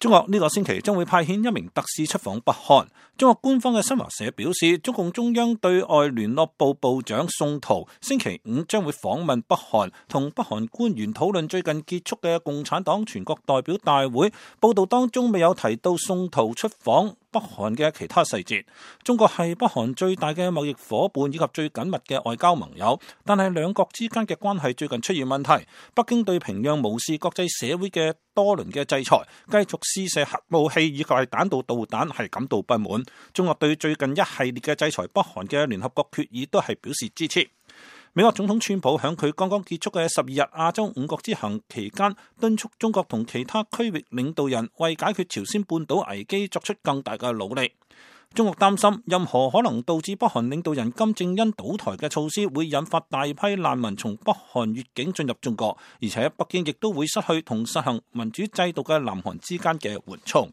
中國呢個星期將會派遣一名特使出訪北韓。中國官方嘅新華社表示，中共中央對外聯絡部部長宋濤星期五將會訪問北韓，同北韓官員討論最近結束嘅共產黨全國代表大會。報道當中未有提到宋濤出訪北韓嘅其他細節。中國係北韓最大嘅貿易夥伴以及最緊密嘅外交盟友，但係兩國之間嘅關係最近出現問題。北京對平壤無視國際社會嘅多輪嘅制裁，繼續試射核武器以及係彈道導彈係感到不滿。中國對最近一系列嘅制裁北韓嘅聯合國決議都係表示支持。美國總統川普響佢剛剛結束嘅12日亞洲5國之行期間，敦促中國同其他區域領導人為解決朝鮮半島危機作出更大嘅努力。中國擔心任何可能導致北韓領導人金正恩倒台嘅措施會引發大批難民從北韓越境進入中國，而且北京亦都會失去同實行民主制度嘅南韓之間嘅緩衝。